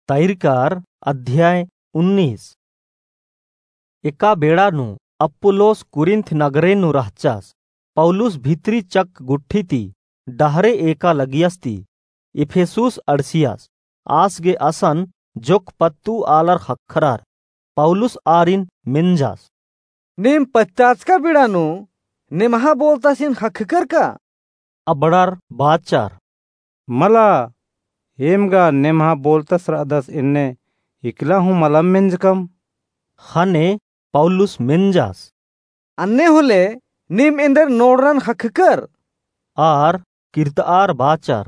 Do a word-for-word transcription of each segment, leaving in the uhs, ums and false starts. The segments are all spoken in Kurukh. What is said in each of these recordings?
तैरकार अध्याय उन्नीस। एका बेड़ा नू अप्पुलोस कुरिन्थ नगरे नू रहचस। पौलुस भितरी चक गुट्ठी ती डहरे एका लगियस ती इफिसुस अंड़सियस। आस गे असन जोक्क पत्तू आलर ख़क्खरर। पौलुस आरिन मेंजस, नीम पत्ताचका बेड़ा नू नेम्हा बोलतसिन ख़क्खकर का? अबड़र बाचर, मला, एम गा नेम्हा बोलतस रअदस एन्ने इकला हूँ मलम मेंजकम। ख़ने पौलुस मेंजस, अन्ने होले नीम एन्देर नोड़रन ख़क्खकर? आर किर्तआर बाचर,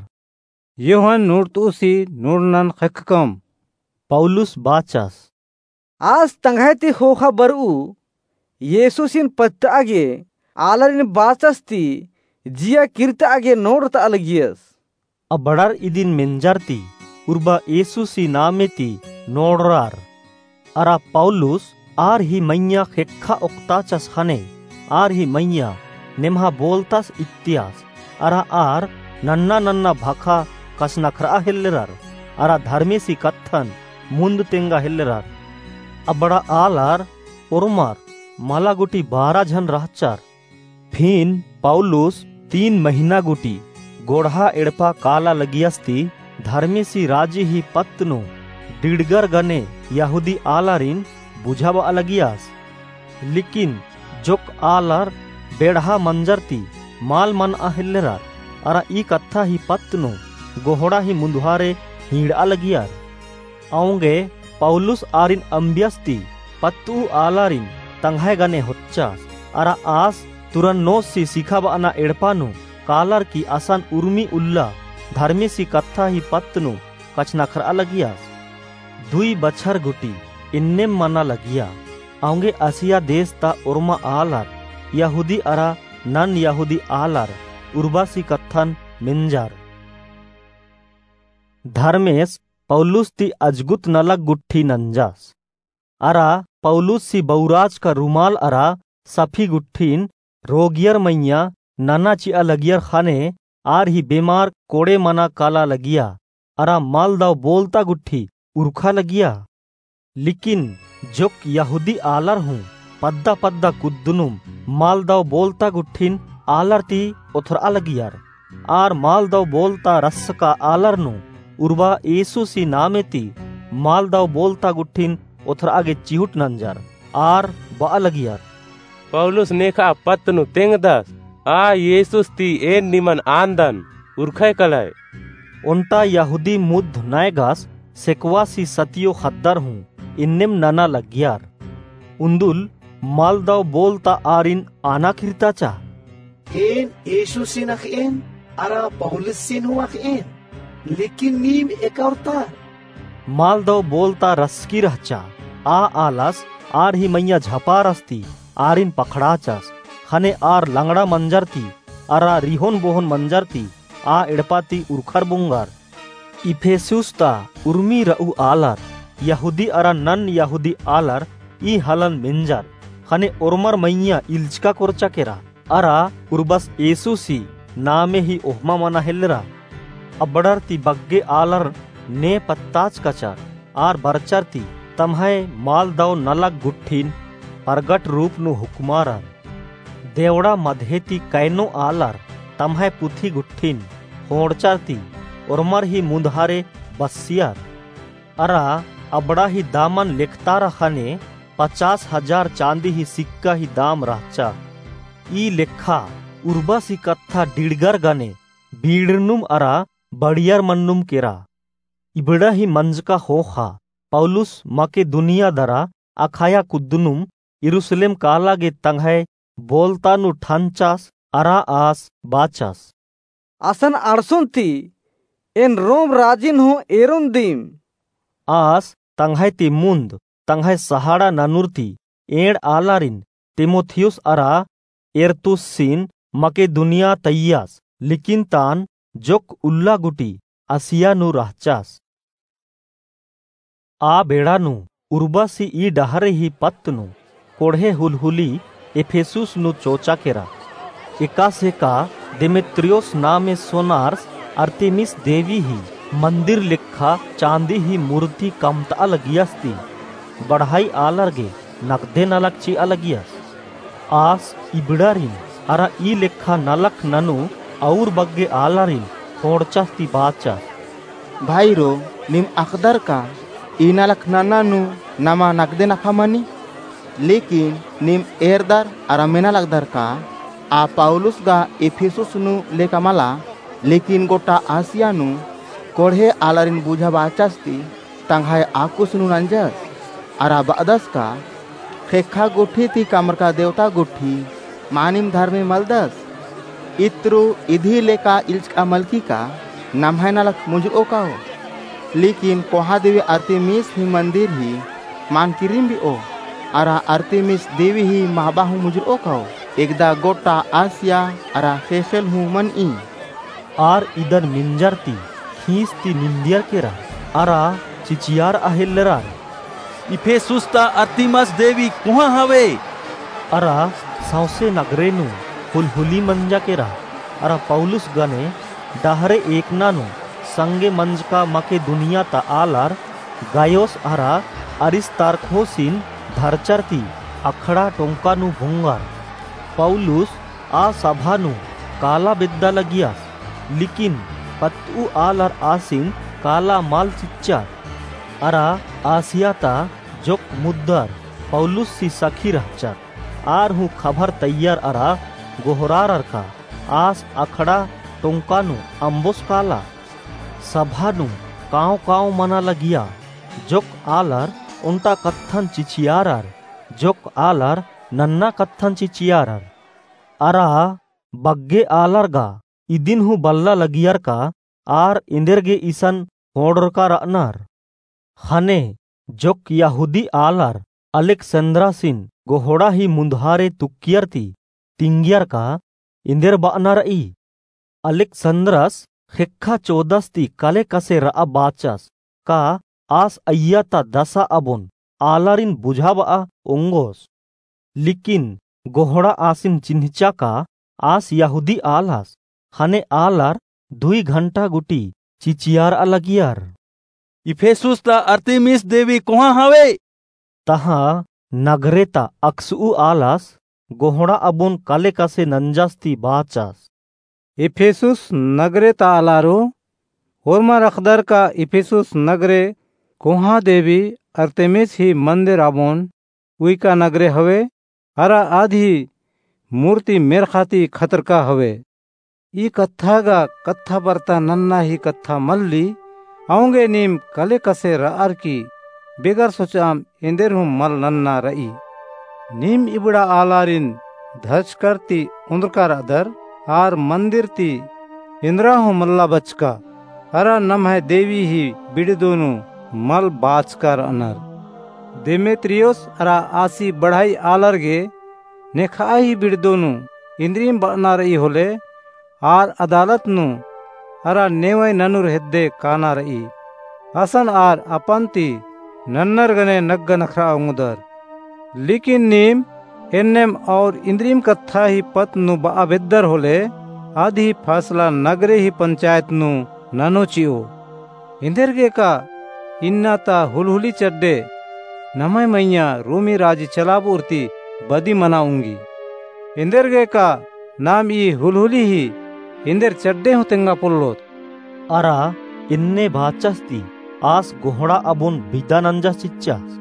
यूहन नूड़तउसी नूड़नन ख़क्खकम। पौलुस बाचस, आस तंग्है ती ख़ोख़ा बरऊ येसुसिन पत्तआ गे आलारिन बाचस ती जिया किर्तआ गे नोड़रतआ लगियस। अबड़र इदिन मेंजर ती उर्बा येसुसी नामे ती नोड़रर। अरा पौलुस आर ही मइय्याँ ख़ेक्खा ओक्ताचस ख़ने आर ही मइय्याँ नेम्हा बोलतस इत्तियस। अरा आर नन्ना नन्ना भखा कछनखरआ हेल्लरर। अरा धर्मेसी कत्थन मुन्द तेंगा हेल्लरर। अबड़ा आलर ओर्मर मला गुटी बारा झन रहचर। फिन पौलुस तीन महिना गुटी गोड़हा एड़पा काला लगियस ती धर्मेसी राजी ही पत्त नू डिड़गर गने यहूदी आलारिन बुझाबआ लगियस। लेकिन जोक्क आलर बेड़हा मंजर ती मल मनआ हेल्लरर। अरा ई कत्था ही पत्त नू गोहड़ा ही मुन्दुहारे हींड़आ लगियर। औंगे पौलुस आरिन अम्बियस ती पत्तू आलारिन तंग्है गने होच्चस। अरा आस तुरन्नोससी सिखाबअना एड़पा नू कालर की असन उर्मी उल्ला धर्मेसी कत्था ही पत्त नू कछनखरआ लगियस। दुई बछर गुटी इन्नेम मना लगिया। औंगे आसिया देस ता ओर्मा आलर यहूदी अरा नन यहूदी आलर उर्बासी कत्थन मेंजर। धर्मेस पौलुस ती अजगुत नलख गुट्ठी नंजस। अरा पौलुससी बौराचका रुमाल अरा सफी गुट्ठिन रोगियर मइय्याँ नना चिआ लगियर ख़ने आर ही बेमार कोड़े मना काला लगिया। अरा मलदव बोलता गुट्ठी उरखा लगिया। लेकिन जोक्क यहूदी आलर हूँ पद्दा पद्दा कुद्दनुम मलदव बोलता गुट्ठिन आलर ती ओथरआ लगियर। आर मलदव बोलता रसका आलर नू उर्बा येसुसी नामे ती मलदव बोलता गुट्ठिन ओथरआ गे चिहुट नंजर। आर बआ लगियर, पौलुस नेखआ पत्त नू तेंगदस, आ येसुस ती एन निमन आन्दन, उरखय कलय। ओन्टा यहूदी मुद्ध नैगस सेकवासी सतियो ख़द्दर हूँ इन्नेम नना लगियर। उन्दुल मलदव बोलता आरिन आना किर्ताचा, एन येसुसिन अख़एन अरा पौलुसिन हूँ अख़एन, लेकिन नीम एका ओर्तर। मलदव बोलता रसकी रहचा। आ आलस आर ही मइय्याँ झपारस ती आरिन पखड़ाचस। ख़ने आर लंगड़ा मंजर ती अरा रिहोन बोहोन मंजर ती आ एड़पा ती उरखर बुंगर। इफिसुस ता उर्मी रऊ आलर, यहूदी अरा नन यहूदी आलर ई हलन मेंजर। ख़ने ओर्मर मइय्याँ इल्चका कोरचा केरा। अरा उर्बस येसुसी नामे ही ओहमा मना हेल्लरा। अबड़र ती बग्गे आलर ने पत्ताचकचर। आर बरचर ती तम्है मलदव नलख गुट्ठिन परगट रूप नू हुक्मारर। देवड़ा मधे ती कैनो आलर तम्है पुथी गुट्ठिन ख़ोंड़चर ती ओर्मर ही मुन्दहारे बस्सियर। अरा अबड़ा ही दामन लेखतारा ख़ने पचास हजार चाँदी ही सिक्का ही दाम रहचा। ई लेखा उर्बसी कत्था डिड़गर गने बीड़नुम अरा बड़ियर मन्नुम केरा। इबड़ा ही मंजका ख़ोख़ा पौलुस मकेदुनिया दरा अखाया कुद्दनुम यरूसलेम काला गे तंग्है बोलता नू ठनचस अरा आस बाचस, असन अंड़सोन ती एन रोम राजिन हूँ एरोन दिम। आस तंग्है ती मुन्द तंग्है सहाड़ा ननुर ती एंड़ आलारिन तीमुथियुस अरा एरतुसिन मकेदुनिया तइयस। लेकिन तान जोक्क उल्ला गुटी असिया नू रहचस। आ बेड़ा नू उर्बसी ई डहरे ही पत्त नू कोड़हे हुलहुली इफिसुस नू चोचा केरा। एकासे का देमेत्रियुस नामे सोनार्स अरतिमिस देवी ही मन्दिर लेखा चाँदी ही मूर्ति कमतआ लगियस ती बढ़ाई आलर गे नगदे नलख चिआ लगियस। आस इबड़ारिन अरा ई लेखा नलख ननू अउर बग्गे आलारिन खोंड़चस ती बाचस। भाईरो, नीम अख़दर का ई नलख नन्ना नू नमा नगदे नफा मनी? लेकिन नीम एरदर अरा मेना लगदर का आ पौलुस गा इफिसुस नू लेका मला, लेकिन गोट्टा आसिया नू कोड़हे आलारिन बुझाबाचस ती तंग्है आकुस नू नंजस, अरा बअदस का ख़ेक्खा गुट्ठी ती कमरका देवता गुट्ठी मानिम धर्मे मलदस। इत्रु इदी लेका इल्चका मलकी का नम्है नलख मुंजरओ काओ। लेकिन कोहाँ देवी अरतिमिस ही मन्दिर ही मान किरिम बिओ, अरा अरतिमिस देवी ही महबा हूँ मुंजरओ काओ। एकदा गोट्टा आसिया अरा ख़ेख़ेल हूँ मनई। आर इदन मिंजर ती खींस ती निंदियर केरा अरा चिचियार अहेल्लरार। इफिसुस ता अरतिमस देवी कोहाँ हवे? अरा सौंसे नगरे नू हुलहुली मंजा केरा। अरा पौलुस गने डहरे एकना नू संगे मंजका मकेदुनिया ता आलर गायोस अरा अरिस्तार्खोसिन धरचर ती अखड़ा टोंका नू भोंगर। पौलुस आ सभा नू काला बेद्दा लगियस, लेकिन पत्तऊ आलर आसिन काला मल चिच्चर। अरा आसिया ता जोक मुद्दर पौलुस सी सखी रहचर। आर हूँ खबर तैयर अरा गोहरारर का आस अखड़ा टोंका नू अम्बोस काला। सभा नू काँव काँव मना लगिया। जोक आलर ओन्टा कत्थन चिचियारर, जोक आलर नन्ना कत्थन चिचियारर। अरा बग्गे आलर गा इदिन हूँ बल्ला लगियर का आर एन्देर गे इसन होड़रका रअनर। ख़ने जोक यहूदी आलर अलेक्सन्द्रसिन गोहड़ा ही मुन्दहारे तुक्कियर ती तिंगियर का एन्देर बअना रई। अलेक्सन्द्रस ख़ेक्खा चोदस ती कले कसे रआ बाचस का आस अइया ता दसा अबोन आलारिन बुझाबआ ओंगोस। लेकिन गोहड़ा आसिन चिन्हचा का आस यहूदी आलस। ख़ने आलर दुई घंटा गुटी चिचियारआ लगियर। इफिसुस ता अरतिमिस देवी कोहाँ हवे? तहाँ नगरे ता अक्सऊ आलस गोहड़ा अबोन कले कसे नंजस ती बाचस। इफिसुस नगरे ता आलारो, ओर्मर अख़दर का इफिसुस नगरे कोहाँ देवी अरतिमिस ही मन्दिर अबोन उइका नगरे हवे, अरा आद ही मूर्ति मेर्ख़ा ती खतरका हवे। ई कत्था गा कत्था बरता नन्ना ही कत्था मल्ली, औंगे नीम कले कसे रअर की बेगर सोचअम एन्देर हूँ मल नन्ना रई। नीम इबड़ा आलारिन धरचकर ती ओन्द्रका रअदर, आर मन्दिर ती एन्द्रा हूँ मल्ला बचका, अरा नम्है देवी ही बिड़दो नू मल बाचका रअनर। देमेत्रियुस अरा आसी बढ़ाई आलर गे नेखआ ही बिड़दो नू इन्द्रिम बअना रई होले, आर अदालत नू अरा नेवय ननुर हेद्दे काना रई। असन आर अपन ती नन्नर गने नग्गा नखरआ ओंगदर। लेकिन नीम एन्नेम और इन्द्रिम कत्था ही पत्त नू बआ बेद्दर होले, आद ही फैसला नगरे ही पंचायत नू ननो चिओ। एन्देरगे का इन्ना ता हुलहुली चड्डे नम्है मइय्याँ रोमी राजी चलाबओर ती बदी मना ओंगी। एन्देरगे का नाम ई हुलहुली ही एन्देर चड्डे हूँ तेंगा पोल्लोत। अरा एन्ने बाचस ती आस गोहड़ा अबोन बिदा नंजस चिच्चस।